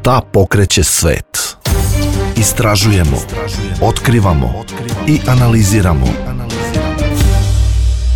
Šta pokreće svet? Istražujemo, otkrivamo i analiziramo.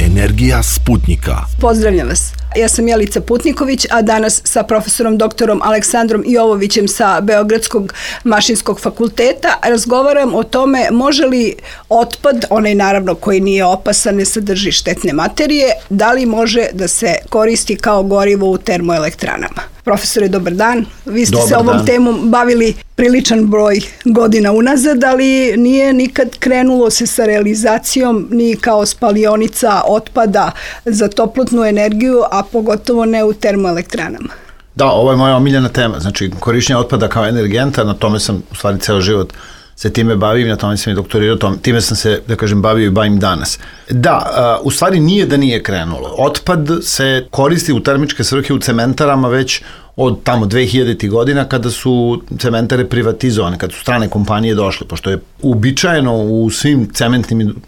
Energija Sputnika. Pozdravljam vas. Ja sam Jelica Putniković, a danas sa profesorom doktorom Aleksandrom Jovovićem sa Beogradskog mašinskog fakulteta razgovaram o tome može li otpad, onaj naravno koji nije opasan, ne sadrži štetne materije, da li može da se koristi kao gorivo u termoelektranama. Profesore, dobar dan. Vi ste se ovom temom bavili priličan broj godina unazad, ali nije nikad krenulo se sa realizacijom ni kao spalionica otpada za toplotnu energiju, a pogotovo ne u termoelektranama. Da, ovo je moja omiljena tema, znači korišćenje otpada kao energenta, na tome sam u stvari ceo život se time bavim, na tome sam i doktorirao, time sam se, da kažem, bavio i bavim danas. Da, u stvari nije da nije krenulo. Otpad se koristi u termičke svrhe u cementarama već od tamo 2000. godina kada su cementare privatizovane, kada su strane kompanije došle, pošto je uobičajeno u svim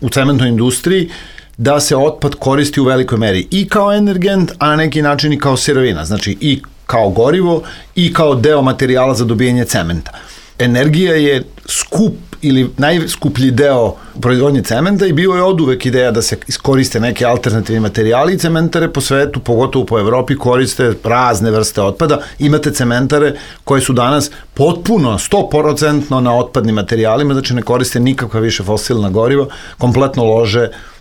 cementnoj industriji da se otpad koristi u velikoj meri i kao energent, a na neki način i kao sirovina, znači i kao gorivo i kao deo materijala za dobijanje cementa. Energija je skup ili najskuplji deo proizvodnje cementa i bio je oduvek ideja da se iskoriste neke alternativni materijali i cementare po svetu, pogotovo po Evropi, koriste razne vrste otpada. Imate cementare koje su danas potpuno 100% na otpadnim materijalima, znači ne koriste nikakva više fosilna goriva, kompletno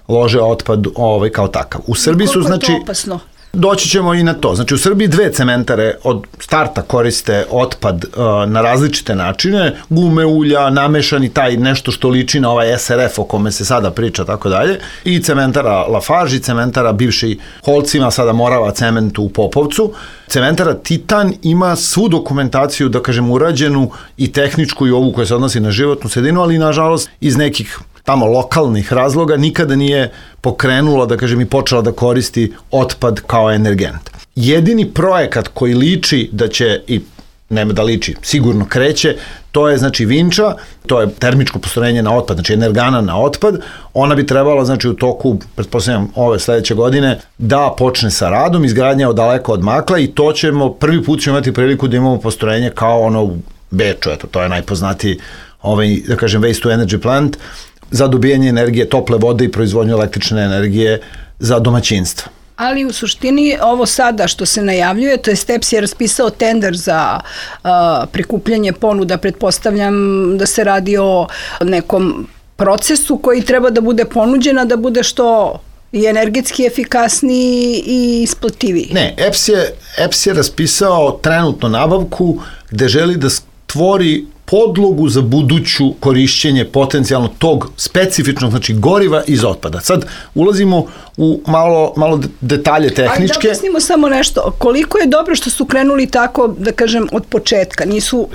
lože otpad kao takav. U Srbiji su, znači, koliko je to opasno? Doći ćemo i na to. Znači u Srbiji 2 cementare od starta koriste otpad na različite načine, gume, ulja, namešani taj nešto što liči na ovaj SRF o kome se sada priča, tako dalje, i cementara Lafarge i cementara bivši Holcima, sada Morava cementu u Popovcu. Cementara Titan ima svu dokumentaciju, da kažem, urađenu i tehničku i ovu koja se odnosi na životnu sredinu, ali nažalost iz nekih tamo lokalnih razloga nikada nije pokrenula, da kažem, i počela da koristi otpad kao energent. Jedini projekat koji liči da će, i nema da liči, sigurno kreće, to je, znači, Vinča, to je termičko postrojenje na otpad, znači energana na otpad. Ona bi trebala, znači, u toku, pretpostavljam, ove sledeće godine da počne sa radom, izgradnja od daleko odmakla i to ćemo, prvi put ćemo imati priliku da imamo postrojenje kao ono u Beču, eto, to je najpoznatiji, da kažem, waste to energy plant, za dobijanje energije, tople vode i proizvodnju električne energije za domaćinstva. Ali u suštini ovo sada što se najavljuje, to je EPS je raspisao tender za prikupljanje ponuda, pretpostavljam da se radi o nekom procesu koji treba da bude ponuđena, da bude što i energetski efikasniji i isplativiji. Ne, EPS je raspisao trenutno nabavku gde želi da stvori podlogu za buduću korišćenje potencijalno tog specifičnog, znači, goriva iz otpada. Sad ulazimo u malo detalje tehničke. Ali da objasnimo samo nešto. Koliko je dobro što su krenuli tako, da kažem, od početka?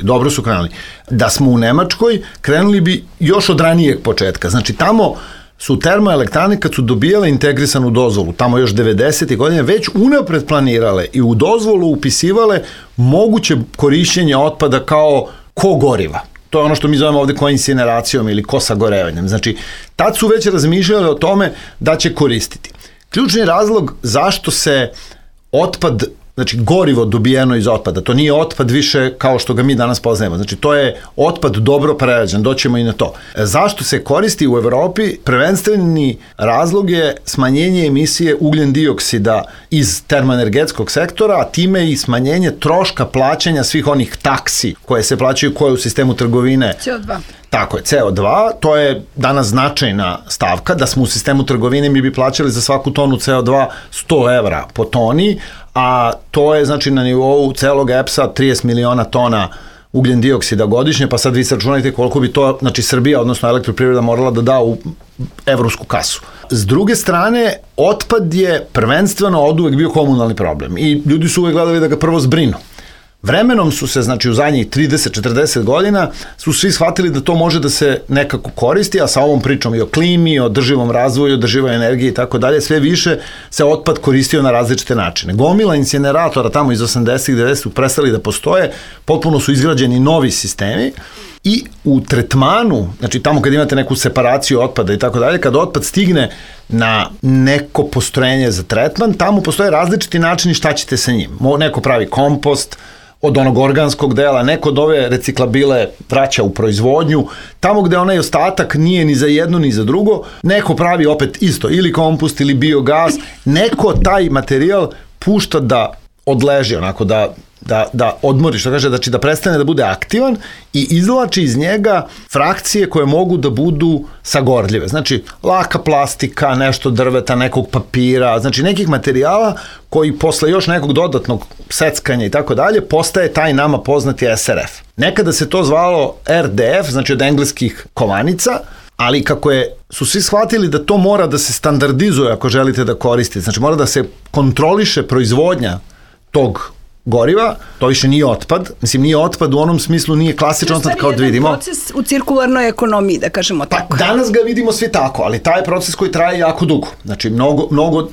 Dobro su krenuli. Da smo u Nemačkoj, krenuli bi još od ranijeg početka. Znači, tamo su termoelektrane, kad su dobijale integrisanu dozvolu, tamo još 90. godine, već unapred planirale i u dozvolu upisivale moguće korišćenje otpada kao kogoriva. To je ono što mi zovemo ovde koincineracijom ili kosagorevanjem. Znači, tad su već razmišljali o tome da će koristiti. Ključni razlog zašto se otpad, znači gorivo dobijeno iz otpada, to nije otpad više kao što ga mi danas poznajemo, znači to je otpad dobro prerađen, doćemo i na to. Zašto se koristi u Evropi? Prvenstveni razlog je smanjenje emisije ugljen dioksida iz termoenergetskog sektora, a time i smanjenje troška plaćanja svih onih taksi koje se plaćaju, koje u sistemu trgovine. CO2. Tako je, CO2, to je danas značajna stavka, da smo u sistemu trgovine mi bi plaćali za svaku tonu CO2 100 evra po toni, a to je, znači, na nivou celog EPS-a 30 miliona tona ugljen dioksida godišnje, pa sad vi se računajte koliko bi to, znači, Srbija, odnosno elektroprivreda, morala da da u evropsku kasu. S druge strane, otpad je prvenstveno oduvek bio komunalni problem i ljudi su uvek gledali da ga prvo zbrinu. Vremenom su se, znači, u zadnjih 30-40 godina su svi shvatili da to može da se nekako koristi, a sa ovom pričom i o klimi, o održivom razvoju, održivoj energiji i tako dalje, sve više se otpad koristio na različite načine. Gomila incineratora tamo iz 80-ih, 90-ih prestali da postoje, potpuno su izgrađeni novi sistemi I u tretmanu, znači tamo kad imate neku separaciju otpada i tako dalje, kad otpad stigne na neko postrojenje za tretman, tamo postoje različiti načini šta ćete sa njim. Neko pravi kompost od onog organskog dela, neko od ove reciklabile vraća u proizvodnju, tamo gde onaj ostatak nije ni za jedno ni za drugo, neko pravi opet isto, ili kompost ili biogas, neko taj materijal pušta da odleži, onako da odmori, što kaže, znači da prestane da bude aktivan i izvlači iz njega frakcije koje mogu da budu sagorljive. Znači, laka plastika, nešto drveta, nekog papira, znači nekih materijala koji posle još nekog dodatnog seckanja i tako dalje, postaje taj nama poznati SRF. Nekada se to zvalo RDF, znači od engleskih kovanica, ali kako su svi shvatili da to mora da se standardizuje ako želite da koristite, znači mora da se kontroliše proizvodnja tog goriva, to više nije otpad, mislim nije otpad u onom smislu, nije klasičan otpad kao da vidimo. To je proces u cirkularnoj ekonomiji, da kažemo tako. Pa danas ga vidimo svi tako, ali taj proces koji traje jako dugo, znači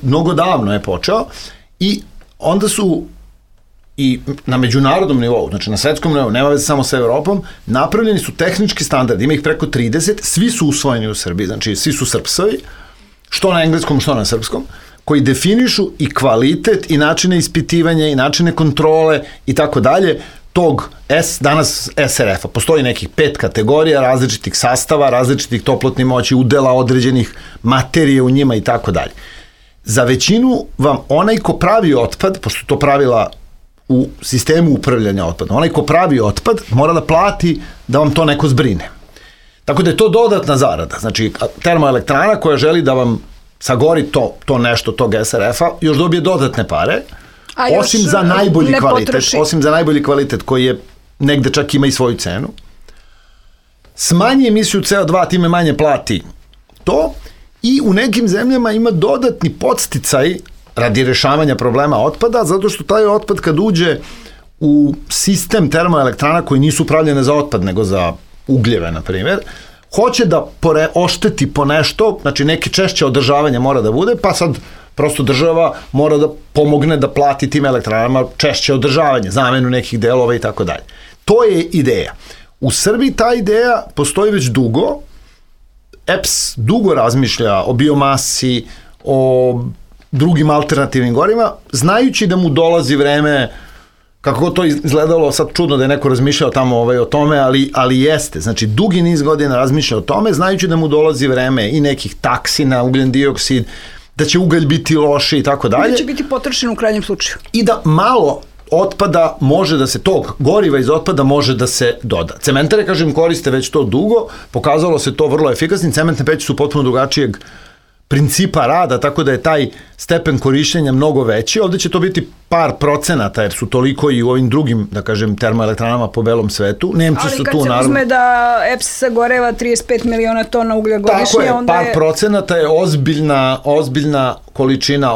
mnogo davno je počeo i onda su i na međunarodnom nivou, znači na svetskom nivou, nema veze samo sa Evropom, napravljeni su tehnički standardi, ima ih preko 30, svi su usvojeni u Srbiji, znači svi su srpsovi, što na engleskom, što na srpskom, koji definišu i kvalitet i načine ispitivanja i načine kontrole i tako dalje tog danas SRF-a. Postoji nekih 5 kategorija različitih sastava, različitih toplotnih moći, udela određenih materije u njima i tako dalje. Za većinu vam onaj ko pravi otpad, pošto to pravila u sistemu upravljanja otpadom, onaj ko pravi otpad mora da plati da vam to neko zbrine. Tako da je to dodatna zarada. Znači, termoelektrana koja želi da vam sagori to nešto tog SRF-a, još dobije dodatne pare, osim za najbolji kvalitet koji je negde čak ima i svoju cenu. Smanji emisiju CO2, time manje plati to i u nekim zemljama ima dodatni podsticaj radi rešavanja problema otpada, zato što taj otpad kad uđe u sistem termoelektrana koji nisu upravljene za otpad, nego za ugljeve, na primjer, hoće da ošteti po nešto, znači neke češće održavanje mora da bude, pa sad prosto država mora da pomogne da plati tim elektranama češće održavanje, zamenu nekih delova i tako dalje. To je ideja. U Srbiji ta ideja postoji već dugo, EPS dugo razmišlja o biomasi, o drugim alternativnim gorivima, znajući da mu dolazi vreme, kako to izgledalo sad čudno da je neko razmišljao tamo o tome, ali jeste, znači dugi niz godina razmišlja o tome, znajući da mu dolazi vreme i nekih taksi na ugljen dioksid, da će ugalj biti loši i tako dalje. Da će biti potrošen u krajnjem slučaju. I da malo otpada može da se, tog goriva iz otpada može da se doda. Cementare, kažem, koriste već to dugo, pokazalo se to vrlo efikasnim, cementne peći su potpuno drugačijeg principa rada, tako da je taj stepen korišćenja mnogo veći. Ovde će to biti par procenata, jer su toliko i u ovim drugim, da kažem, termoelektranama po belom svetu. Nemci su tu, naravno. Ali kad se uzme da EPS sagoreva 35 miliona tona uglja godišnje, tako je, onda par procenata je ozbiljna količina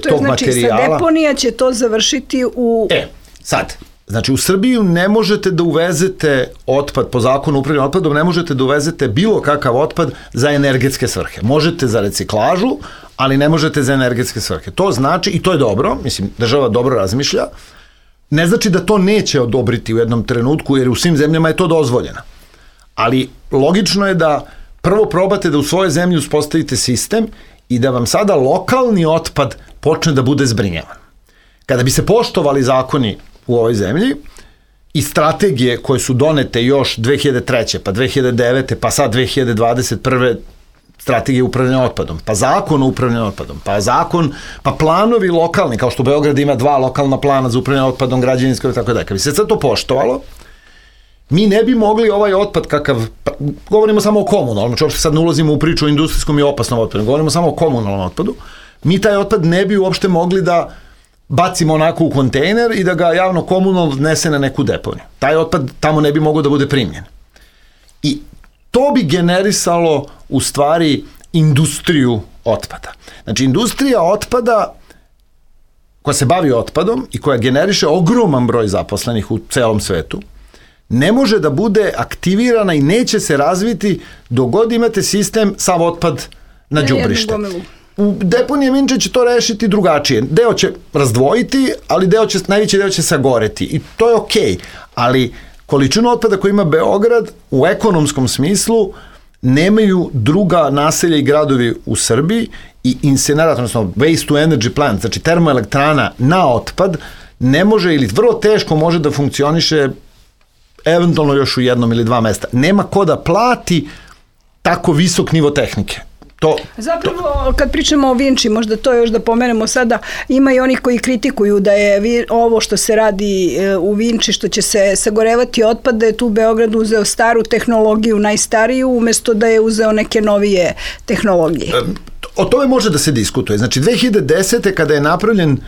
tog materijala. Sa deponija će to završiti u... Sad, znači u Srbiju ne možete da uvezete otpad, po zakonu upravljanja otpadom, ne možete da uvezete bilo kakav otpad za energetske svrhe. Možete za reciklažu, ali ne možete za energetske svrhe. To znači, i to je dobro, mislim, država dobro razmišlja, ne znači da to neće odobriti u jednom trenutku, jer u svim zemljama je to dozvoljeno. Ali logično je da prvo probate da u svojoj zemlji uspostavite sistem i da vam sada lokalni otpad počne da bude zbrinjavan. Kada bi se poštovali zakoni u ovoj zemlji i strategije koje su donete još 2003. pa 2009. pa sad 2021. strategije upravljanja otpadom, pa zakon o upravljanju otpadom, pa planovi lokalni, kao što Beograd ima 2 lokalna plana za upravljanje otpadom, građevinsko i tako dalje. Kad bi se sad to poštovalo, mi ne bi mogli ovaj otpad kakav, govorimo samo o komunalnom, znači uopšte sad ne ulazimo u priču o industrijskom i opasnom otpadu, govorimo samo o komunalnom otpadu, mi taj otpad ne bi uopšte mogli da bacimo onako u kontejner i da ga javno komunalno nese na neku deponiju. Taj otpad tamo ne bi mogao da bude primljen. I to bi generisalo u stvari industriju otpada. Znači industrija otpada koja se bavi otpadom i koja generiše ogroman broj zaposlenih u celom svetu, ne može da bude aktivirana i neće se razviti dok god imate sistem sav otpad na đubrište. U deponije Vinče će to rešiti drugačije. Deo će razdvojiti, ali najveći deo će sagoreti. I to je okej. Ali količinu otpada koju ima Beograd u ekonomskom smislu nemaju druga naselja i gradovi u Srbiji i incinerator, odnosno waste to energy plant, znači termoelektrana na otpad, ne može ili vrlo teško može da funkcioniše eventualno još u jednom ili dva mesta. Nema ko da plati tako visok nivo tehnike. Zapravo, kad pričamo o Vinči, možda to još da pomenemo sada, ima i oni koji kritikuju da je ovo što se radi u Vinči, što će se sagorevati otpad, da je tu Beograd uzeo staru tehnologiju, najstariju, umesto da je uzeo neke novije tehnologije. O tome može da se diskutuje. Znači, 2010. kada je napravljen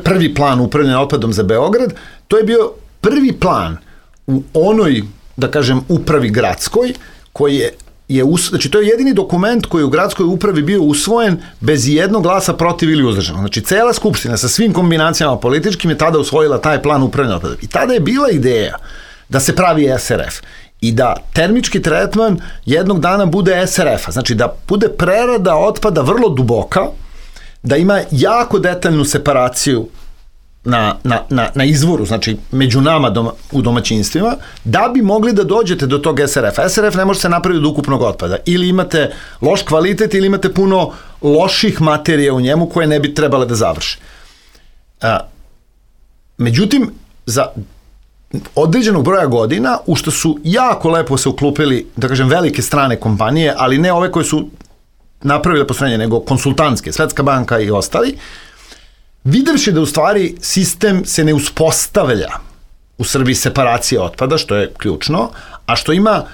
prvi plan upravljanja otpadom za Beograd, to je bio prvi plan u onoj, da kažem, upravi gradskoj, koji znači to je jedini dokument koji je u gradskoj upravi bio usvojen bez jednog glasa protiv ili uzdržano. Znači cela skupština sa svim kombinacijama političkim je tada usvojila taj plan upravljanja otpadom. I tada je bila ideja da se pravi SRF i da termički tretman jednog dana bude SRF-a, znači da bude prerada otpada vrlo duboka, da ima jako detaljnu separaciju na izvoru, znači među nama u domaćinstvima, da bi mogli da dođete do tog SRF-a. SRF ne može se napraviti od ukupnog otpada. Ili imate loš kvalitet ili imate puno loših materija u njemu koje ne bi trebale da završe. Međutim, za određenog broja godina, u što su jako lepo se uklupili, da kažem, velike strane kompanije, ali ne ove koje su napravile postrojenje, nego konsultantske, Svetska banka i ostali, videvši da u stvari sistem se ne uspostavlja u Srbiji separacije otpada, što je ključno, a što ima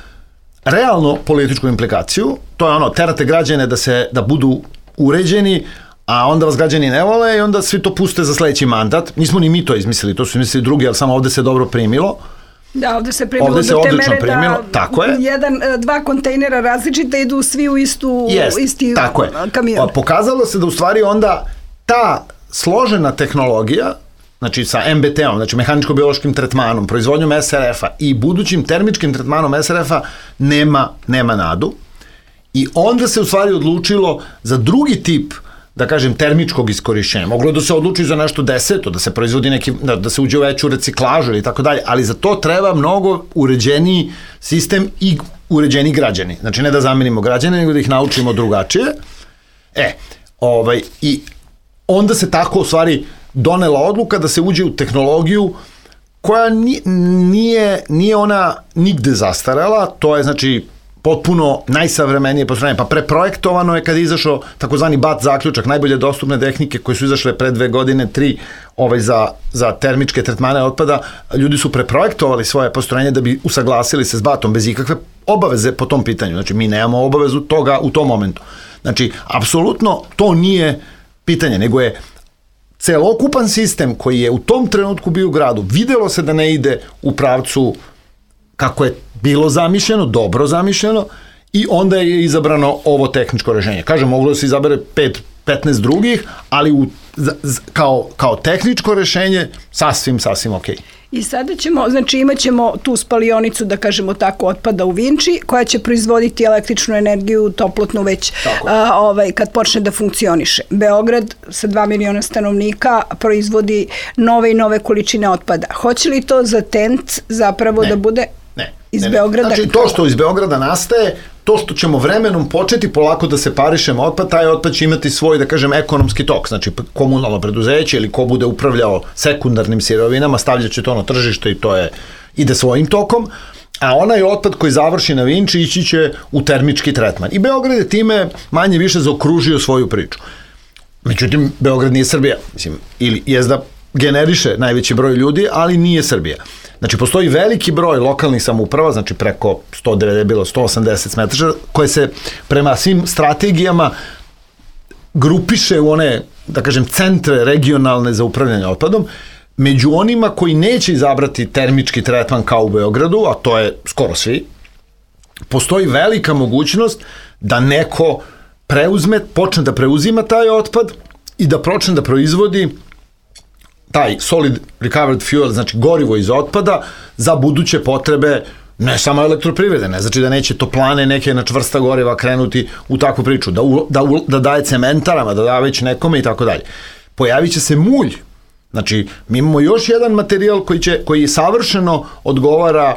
realno političku implikaciju, to je ono, terate građane da budu uređeni, a onda vas građani ne vole i onda svi to puste za sledeći mandat. Nismo ni mi to izmislili, to su izmislili drugi, ali samo ovde se dobro primilo. Da, ovde se primilo do te mere da dva kontejnera različita idu svi u isti kamion. Pokazalo se da u stvari onda ta složena tehnologija, znači sa MBT-om, znači mehaničko-biološkim tretmanom, proizvodnjom SRF-a i budućim termičkim tretmanom SRF-a nema nadu. I onda se u stvari odlučilo za drugi tip, da kažem, termičkog iskorišćenja. Moglo da se odluči za nešto deseto, da se proizvodi neki, da se uđe u veću reciklažu ili tako dalje, ali za to treba mnogo uređeniji sistem i uređeni građani. Znači ne da zamenimo građane, nego da ih naučimo drugačije. I onda se tako u stvari donela odluka da se uđe u tehnologiju koja nije ona nigde zastarela, to je znači potpuno najsavremenije postrojenje, pa preprojektovano je kad je izašao takozvani BAT zaključak, najbolje dostupne tehnike koje su izašle pre 2 godine, 3 za termičke tretmane otpada, ljudi su preprojektovali svoje postrojenje da bi usaglasili se s BAT-om bez ikakve obaveze po tom pitanju, znači mi nemamo obavezu toga u tom momentu. Znači, apsolutno to nije pitanje, nego je celokupan sistem koji je u tom trenutku bio u gradu, videlo se da ne ide u pravcu kako je bilo zamišljeno, dobro zamišljeno, i onda je izabrano ovo tehničko rešenje. Kažem, moglo da se izabere 15 drugih, ali kao tehničko rešenje sasvim okej. I sada imat ćemo tu spalionicu, da kažemo tako, otpada u Vinči, koja će proizvoditi električnu energiju, toplotnu već kad počne da funkcioniše. Beograd sa 2 miliona stanovnika proizvodi nove i nove količine otpada. Hoće li to za TENT zapravo da bude iz Beograda? Znači, to što iz Beograda nastaje, to što ćemo vremenom početi polako da separišemo otpad, taj otpad će imati svoj, da kažem, ekonomski tok, znači komunalno preduzeće ili ko bude upravljao sekundarnim sirovinama, stavljat će to na tržište i to ide svojim tokom, a onaj otpad koji završi na Vinči ići će u termički tretman. I Beograd je time manje više zaokružio svoju priču. Međutim, Beograd nije Srbija, mislim, ili jezda generiše najveći broj ljudi, ali nije Srbija. Znači, postoji veliki broj lokalnih samouprava, znači preko 180 smetraša, koje se prema svim strategijama grupiše u one, da kažem, centre regionalne za upravljanje otpadom. Među onima koji neće izabrati termički tretman kao u Beogradu, a to je skoro svi, postoji velika mogućnost da neko počne da preuzima taj otpad i da počne da proizvodi taj solid recovered fuel, znači gorivo iz otpada, za buduće potrebe ne samo elektroprivrede, ne znači da neće toplane neke na čvrsta goriva krenuti u takvu priču, da daje cementarama, da daje već nekome i tako dalje. Pojavit će se mulj Znači, mi imamo još jedan materijal koji savršeno odgovara,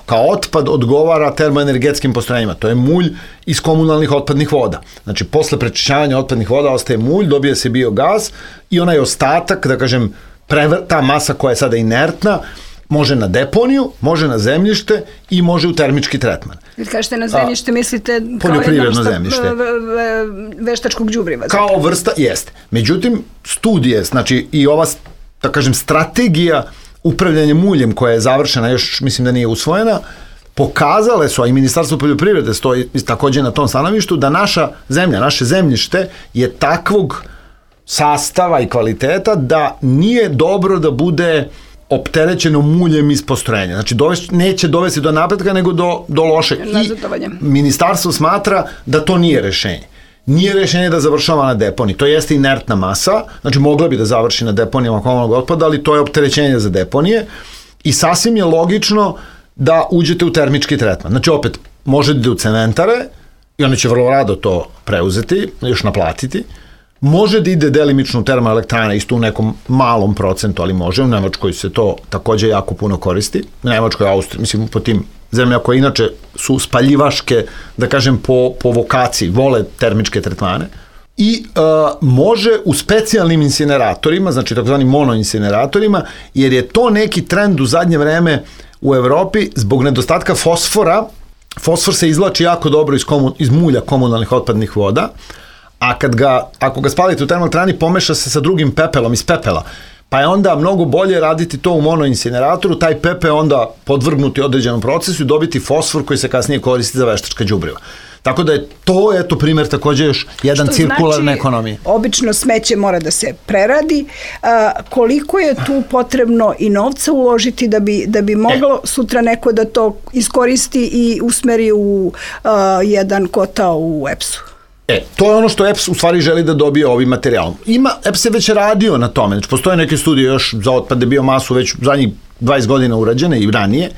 kao otpad odgovara termoenergetskim postrojenjima. To je mulj iz komunalnih otpadnih voda. Znači, posle prečišćavanja otpadnih voda ostaje mulj, dobije se biogaz i onaj ostatak, da kažem, ta masa koja je sada inertna, može na deponiju, može na zemljište i može u termički tretman. Kad kažete na zemljište, mislite poljoprivredno zemljište. Veštačkog đubriva. Kao vrsta, jeste. Međutim, studije, znači i ova, da kažem, strategija upravljanja muljem koja je završena, još mislim da nije usvojena, pokazale su, a i Ministarstvo poljoprivrede stoji takođe na tom stanovištu, da naša zemlja, naše zemljište je takvog sastava i kvaliteta da nije dobro da bude opterećeno muljem iz postrojenja. Znači, neće dovesti do napretka, nego do lošeg. I ministarstvo smatra da to nije rešenje. Nije rešenje da završava na deponiji. To jeste inertna masa, znači mogla bi da završi na deponijama komunalnog otpada, ali to je opterećenje za deponije i sasvim je logično da uđete u termički tretman. Znači, opet, možete da u cementare i oni će vrlo rado to preuzeti, još naplatiti. Može da ide delimično u termoelektrane, isto u nekom malom procentu, ali može. U Nemačkoj se to takođe jako puno koristi. U Nemačkoj, Austriji, mislim, po tim zemlja koje inače su spaljivaške, da kažem, po vokaciji, vole termičke tretmane. I može u specijalnim incineratorima, znači takozvani monoincineratorima, jer je to neki trend u zadnje vreme u Evropi zbog nedostatka fosfora. Fosfor se izvlači jako dobro iz mulja komunalnih otpadnih voda, a ako ga spalite u termoelektrani, pomeša se sa drugim pepelom iz pepela. Pa je onda mnogo bolje raditi to u monoincineratoru, taj pepel onda podvrgnuti određenom procesu i dobiti fosfor koji se kasnije koristi za veštačka đubriva. Tako da je to, eto, primjer takođe još jedan cirkularne ekonomije. Što znači, obično smeće mora da se preradi. Koliko je tu potrebno i novca uložiti da bi moglo sutra neko da to iskoristi i usmeri u jedan kotao u EPS-u? To je ono što EPS u stvari želi da dobije ovim materijalom. EPS je već radio na tome, znači postoje neke studije još za otpade biomasu već zadnjih 20 godina urađene i ranije,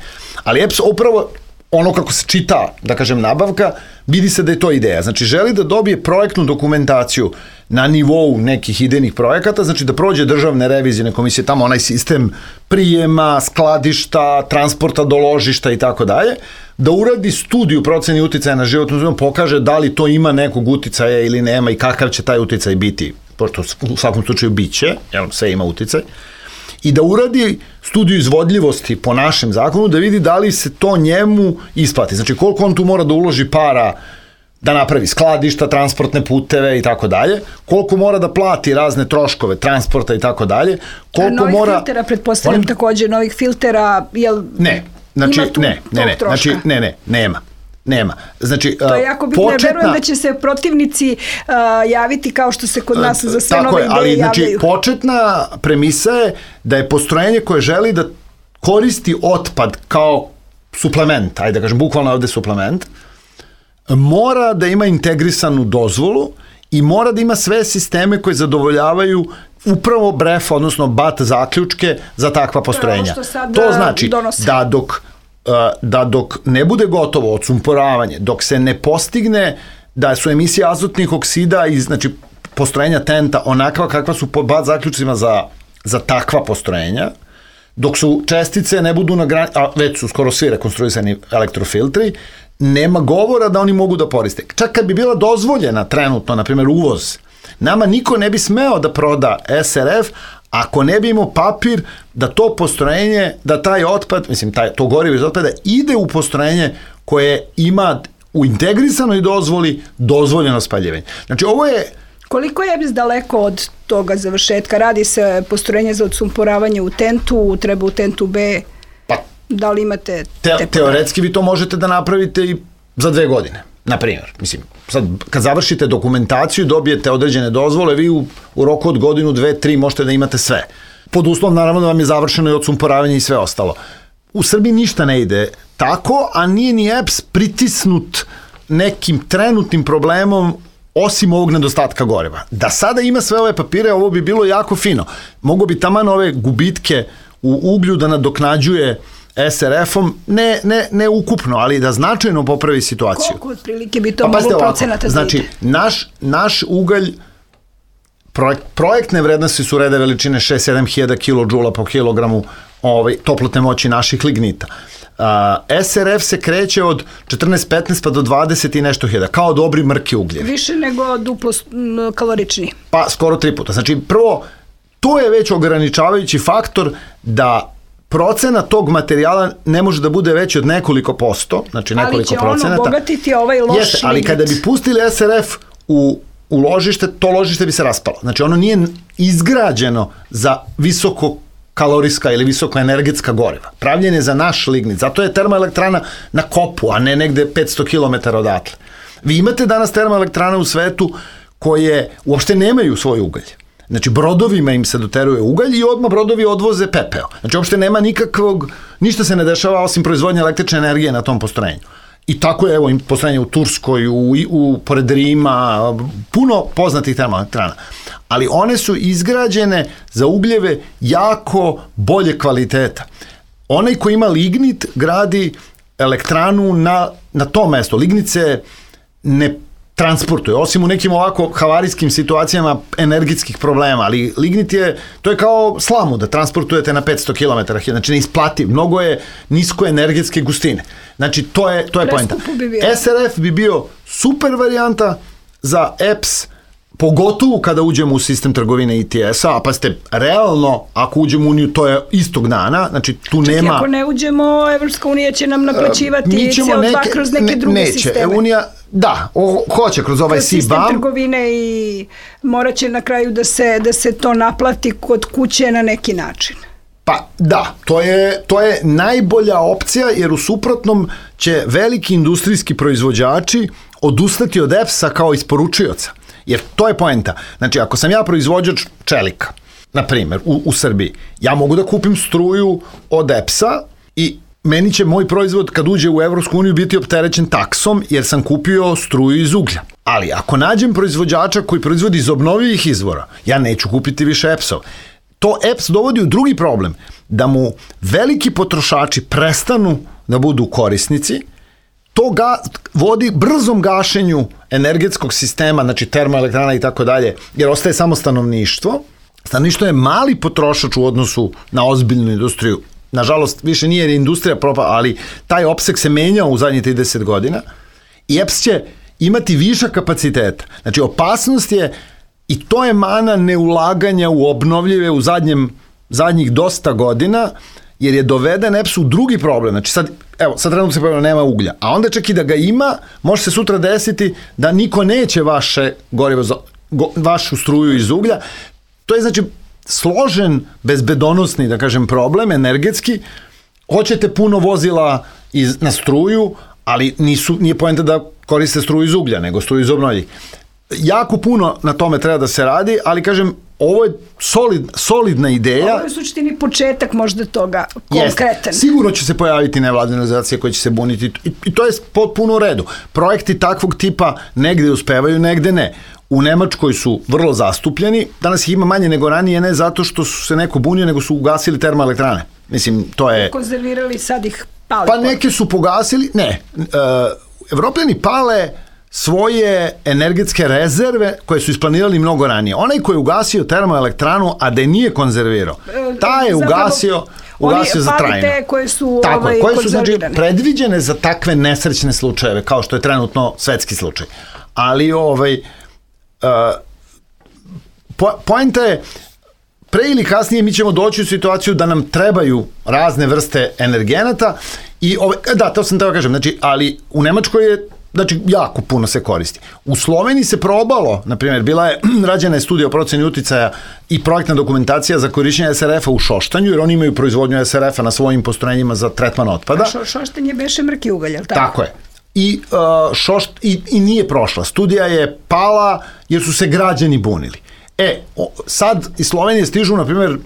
ali EPS upravo ono kako se čita, da kažem, nabavka, vidi se da je to ideja. Znači, želi da dobije projektnu dokumentaciju na nivou nekih idejnih projekata, znači da prođe državne revizijne komisije, tamo onaj sistem prijema, skladišta, transporta do ložišta i tako dalje, da uradi studiju proceni uticaja na životnu sredinu, pokaže da li to ima nekog uticaja ili nema i kakav će taj uticaj biti, pošto u svakom slučaju biće, sve ima uticaj, i da uradi studiju izvodljivosti po našem zakonu, da vidi da li se to njemu isplati. Znači, koliko on tu mora da uloži para da napravi skladišta, transportne puteve i tako dalje, koliko mora da plati razne troškove transporta i tako dalje, koliko mora... Novih filtera, pretpostavljam takođe, novih filtera, jel... Ne, znači, nema. Znači, to je jako bitno, verujem da će se protivnici javiti kao što se kod nas za sve nove ideje javljaju. Znači, početna premisa je da je postrojenje koje želi da koristi otpad kao suplement, ajde da kažem, bukvalno ovde suplement, mora da ima integrisanu dozvolu i mora da ima sve sisteme koje zadovoljavaju upravo BREF, odnosno BAT zaključke za takva postrojenja. To znači da dok ne bude gotovo odsumporavanje, dok se ne postigne da su emisije azotnih oksida iz, znači, postrojenja TENT-a onakva kakva su po BAT zaključcima za takva postrojenja, dok su čestice ne budu na granici, a već su skoro svi rekonstruisani elektrofiltri, nema govora da oni mogu da koriste. Čak kad bi bila dozvoljena trenutno, na primjer, uvoz, nama niko ne bi smeo da proda SRF ako ne bi imao papir da to postrojenje, da taj otpad, mislim, to gorivo iz otpada ide u postrojenje koje ima u integrisanoj dozvoli dozvoljeno spaljivanje. Znači, ovo je... Koliko je EPS daleko od toga završetka? Radi se postrojenje za odsumporavanje u TENT-u, treba u TENT-u B... Da li imate... Teoretski vi to možete da napravite i za 2 godine, na primjer. Mislim, sad kad završite dokumentaciju, dobijete određene dozvole, vi u roku od godinu, 2, 3 možete da imate sve. Pod uslovom, naravno, da vam je završeno i odsumporavanje i sve ostalo. U Srbiji ništa ne ide tako, a nije ni EPS pritisnut nekim trenutnim problemom osim ovog nedostatka goriva. Da sada ima sve ove papire, ovo bi bilo jako fino. Mogu bi taman ove gubitke u uglju da nadoknađuje SRF-om, ne ukupno, ali da značajno popravi situaciju. Koliko otprilike bi to moglo procenata da ide? Znači, naš ugalj projektne vrednosti su rede veličine 6-7 hiljada kilodžula po kilogramu toplotne moći naših lignita. SRF se kreće od 14-15 pa do 20 i nešto hiljada, kao dobri mrki ugljevi. Više nego duplo kalorični. Pa skoro 3 puta. Znači, prvo, to je već ograničavajući faktor da procena tog materijala ne može da bude veći od nekoliko posto, znači nekoliko procenata. Ali će ono obogatiti ovaj loš lignit. Ali kada bi pustili SRF u ložište, to ložište bi se raspalo. Znači, ono nije izgrađeno za visoko kalorijska ili visoko energetska goriva. Pravljen je za naš lignit. Zato je termoelektrana na kopu, a ne negde 500 km odatle. Vi imate danas termoelektrane u svetu koje uopšte nemaju svoj ugalj. Znači, brodovima im se doteruje ugalj i odmah brodovi odvoze pepeo. Znači, uopšte nema ništa se ne dešava osim proizvodnje električne energije na tom postrojenju. I tako je, evo, postrojenje u Turskoj, pored Rima, puno poznatih termoelektrana. Ali one su izgrađene za ugljeve jako bolje kvaliteta. Onaj ko ima lignit gradi elektranu na tom mestu. Lignit se ne transportuje, osim u nekim ovako havarijskim situacijama energetskih problema, ali lignit to je kao slamu da transportujete na 500 km, znači neisplativ, mnogo je nisko energetske gustine. Znači, to je poenta. SRF bi bio super varijanta za EPS, pogotovo kada uđemo u sistem trgovine ETS-a, a pa ste realno, ako uđemo u Uniju, to je istog dana, znači tu nema... Čak ako ne uđemo, Evropska unija će nam naplaćivati CO2 kroz neke druge sisteme. Unija, da, hoće kroz ovaj CBAM. Sistem trgovine i morat će na kraju da se to naplati kod kuće na neki način. Pa da, to je najbolja opcija, jer u suprotnom će veliki industrijski proizvođači odustati od EPS-a kao isporučioca. Jer to je poenta. Znači, ako sam ja proizvođač čelika, na primjer, u Srbiji, ja mogu da kupim struju od EPS-a i meni će moj proizvod kad uđe u Evropsku uniju biti opterećen taksom jer sam kupio struju iz uglja. Ali ako nađem proizvođača koji proizvodi iz obnovljivih izvora, ja neću kupiti više EPS-ov. To EPS dovodi u drugi problem, da mu veliki potrošači prestanu da budu korisnici, to vodi brzom gašenju energetskog sistema, znači termoelektrana i tako dalje, jer ostaje samo stanovništvo. Stanovništvo je mali potrošač u odnosu na ozbiljnu industriju. Nažalost, više nije jer industrija propala, ali taj opseg se menjao u zadnjih 30 godina i EPS će imati višak kapaciteta. Znači, opasnost je, i to je mana neulaganja u obnovljive u zadnjih dosta godina, jer je doveden EPS u drugi problem. Znači, sad trenutno se pojavljeno nema uglja, a onda čak i da ga ima, može se sutra desiti da niko neće vašu struju iz uglja. To je, znači, složen, bezbedonosni, da kažem, problem, energetski. Hoćete puno vozila na struju, ali nije poenta da koriste struju iz uglja, nego struju iz obnovljivih. Jako puno na tome treba da se radi, ali kažem, ovo je solidna ideja. Ovo je u suštini početak možda toga konkretan. Sigurno će se pojaviti nevladine organizacije koje će se buniti i to je potpuno u redu. Projekti takvog tipa negde uspevaju, negde ne. U Nemačkoj su vrlo zastupljeni, danas ih ima manje nego ranije, ne zato što su se neko bunio, nego su ugasili termoelektrane. Mislim, to je... Konzervirali, sad ih pali. Pa neke su pogasili, ne. Evropljani pale svoje energetske rezerve koje su isplanirali mnogo ranije. Onaj koji je ugasio termoelektranu, a da je nije konzervirao, taj je ugasio za trajno. Te koje su koje su, znači, predviđene za takve nesrećne slučajeve, kao što je trenutno svetski slučaj. Ali poenta je, pre ili kasnije mi ćemo doći u situaciju da nam trebaju razne vrste energenata i to sam teo kažem, znači, ali u Nemačkoj je, znači, jako puno se koristi. U Sloveniji se probalo, na primjer, rađena je studija o proceni uticaja i projektna dokumentacija za korišćenje SRF-a u Šoštanju, jer oni imaju proizvodnju SRF-a na svojim postrojenjima za tretman otpada. Šoštanje beše mrki ugalj, je li tako? Tako je. I nije prošla. Studija je pala jer su se građani bunili. Sad iz Slovenije stižu, na primjer,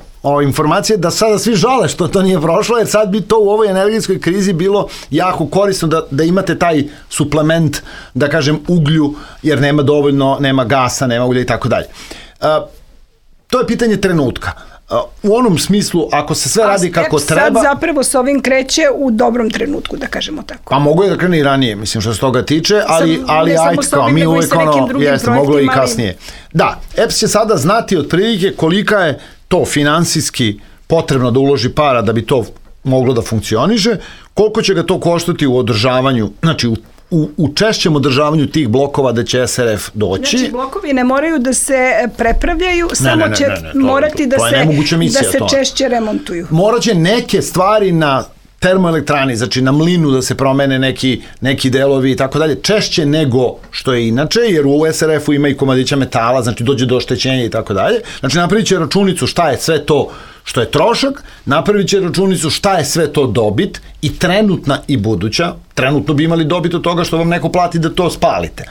informacije da sada svi žale što to nije prošlo, jer sad bi to u ovoj energetskoj krizi bilo jako korisno da imate taj suplement, da kažem, uglju, jer nema dovoljno, nema gasa, nema ulja i tako dalje. To je pitanje trenutka. u onom smislu, ako se sve radi kako treba... sad zapravo s ovim kreće u dobrom trenutku, da kažemo tako. Pa mogu je da krene i ranije, mislim, što se toga tiče, ali ajde, kao mi uvijek jeste, moglo i kasnije. Da, EPS će sada znati otprilike kolika je to finansijski potrebno da uloži para da bi to moglo da funkcioniše, koliko će ga to koštati u održavanju, znači u češćem održavanju tih blokova da će SRF doći. Znači, blokovi ne moraju da se prepravljaju, samo će morati da se češće remontuju. Morat će neke stvari na termoelektrani, znači na mlinu da se promene neki delovi i tako dalje, češće nego što je inače, jer u SRF-u ima i komadića metala, znači dođe do oštećenja i tako dalje. Znači napravit će računicu šta je sve to što je trošak, napravit će računicu šta je sve to dobit, i trenutna i buduća. Trenutno bi imali dobit od toga što vam neko plati da to spalite.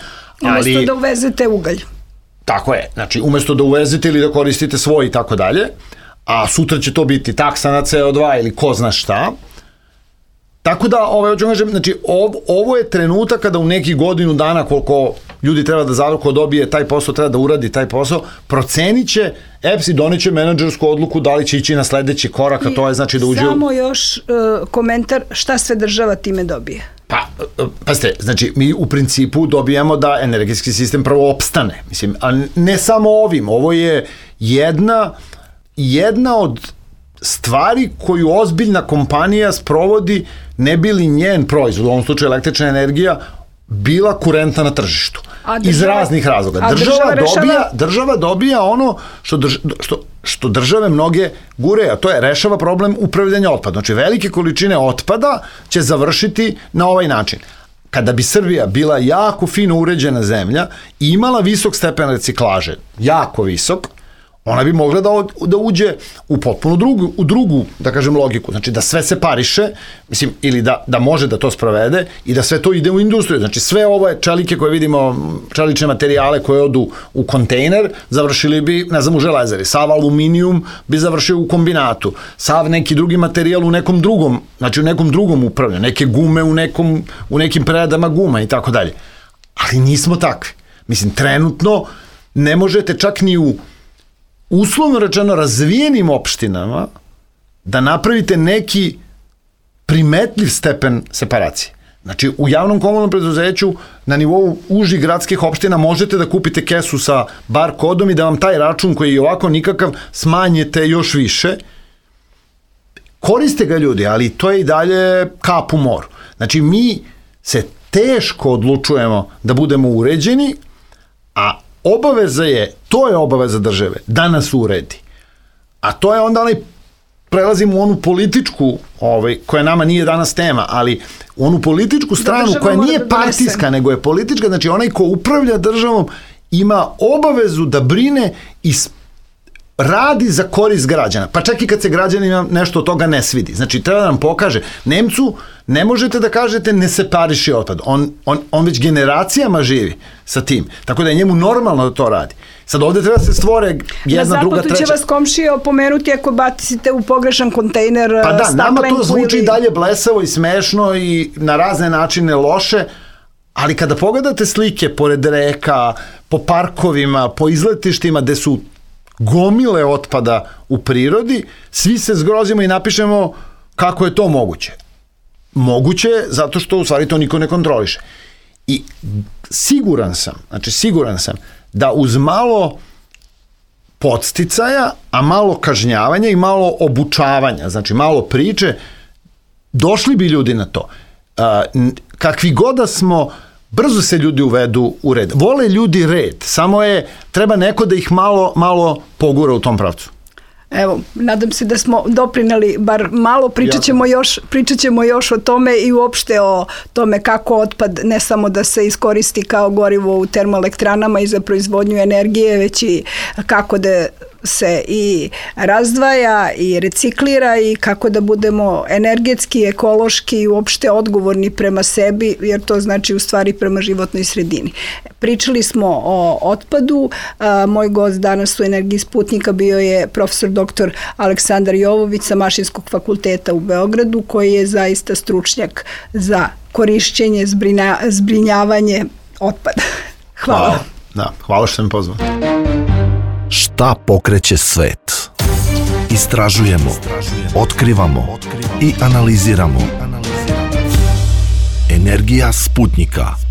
Umesto da uvezete ugalj. Tako je, znači umesto da uvezete ili da koristite svoj i tako dalje, a sutra će to biti taksa na CO2 ili ko zna šta. Tako da, hoću kažem, znači, ovo je trenutak kada u nekih godinu dana koliko ljudi treba da zavrko dobije taj posao, treba da uradi taj posao, procenit će EPS i doneće menadžersku odluku da li će ići na sledeći korak, a to je znači da uđe... Samo još komentar šta sve država time dobije. Pazite, znači mi u principu dobijamo da energetski sistem prvo opstane, mislim, a ne samo ovim, ovo je jedna od stvari koju ozbiljna kompanija sprovodi ne bi li njen proizvod, u ovom slučaju električna energija, bila kurentna na tržištu. Iz raznih razloga. Država dobija ono što države mnoge gure, a to je rešava problem upravljanja otpadom. Znači velike količine otpada će završiti na ovaj način. Kada bi Srbija bila jako fino uređena zemlja i imala visok stepen reciklaže, jako visok, ona bi mogla da uđe u potpuno drugu, da kažem, logiku. Znači da sve separiše, mislim, ili da može da to sprovede i da sve to ide u industriju. Znači sve ove čelike koje vidimo, čelične materijale koje odu u kontejner, završili bi, ne znam, u železari. Sav aluminijum bi završio u kombinatu. Sav neki drugi materijal u nekom drugom, znači u nekom drugom upravljanju. Neke gume u nekim preradama guma i tako dalje. Ali nismo takvi. Mislim, trenutno ne možete čak ni u uslovno rečeno razvijenim opštinama da napravite neki primetljiv stepen separacije. Znači, u javnom komunalnom preduzeću na nivou užih gradskih opština možete da kupite kesu sa bar kodom i da vam taj račun koji je ovako nikakav smanjite još više. Koriste ga ljudi, ali to je i dalje kap u moru. Znači, mi se teško odlučujemo da budemo uređeni, a to je obaveza države, da nas uredi. A to je onda prelazimo u onu političku, koja nama nije danas tema, ali u onu političku stranu koja nije partijska, nego je politička, znači onaj ko upravlja državom ima obavezu da brine i radi za korist građana. Pa čak i kad se građanima nešto od toga ne svidi. Znači, treba da nam pokaže. Nemcu ne možete da kažete ne separiši otpad. On već generacijama živi sa tim. Tako da je njemu normalno da to radi. Sad ovde treba se stvore jedna, druga, treća. Na zapadu će vas komšije opomenuti ako bacite u pogrešan kontejner staklenku. Pa da, nama to zvuči dalje blesavo i smešno i na razne načine loše, ali kada pogledate slike pored reka, po parkovima, po izletištima gde su gomile otpada u prirodi, svi se zgrozimo i napišemo kako je to moguće. Moguće je zato što u stvari to niko ne kontroliše. I siguran sam da uz malo podsticaja, a malo kažnjavanja i malo obučavanja, znači malo priče, došli bi ljudi na to. Kakvi god da smo, brzo se ljudi uvedu u red. Vole ljudi red, samo treba neko da ih malo pogura u tom pravcu. Evo, nadam se da smo doprineli bar malo, pričat ćemo još o tome i uopšte o tome kako otpad ne samo da se iskoristi kao gorivo u termoelektranama i za proizvodnju energije, već i kako da se i razdvaja i reciklira i kako da budemo energetski, ekološki i uopšte odgovorni prema sebi, jer to znači u stvari prema životnoj sredini. Pričali smo o otpadu, moj gost danas u Energiji Sputnika bio je profesor dr. Aleksandar Jovović sa Mašinskog fakulteta u Beogradu, koji je zaista stručnjak za korišćenje, zbrinjavanje otpada. Hvala. Hvala što sam pozvao. Šta pokreće svet? Istražujemo, otkrivamo i analiziramo. Energija Sputnika.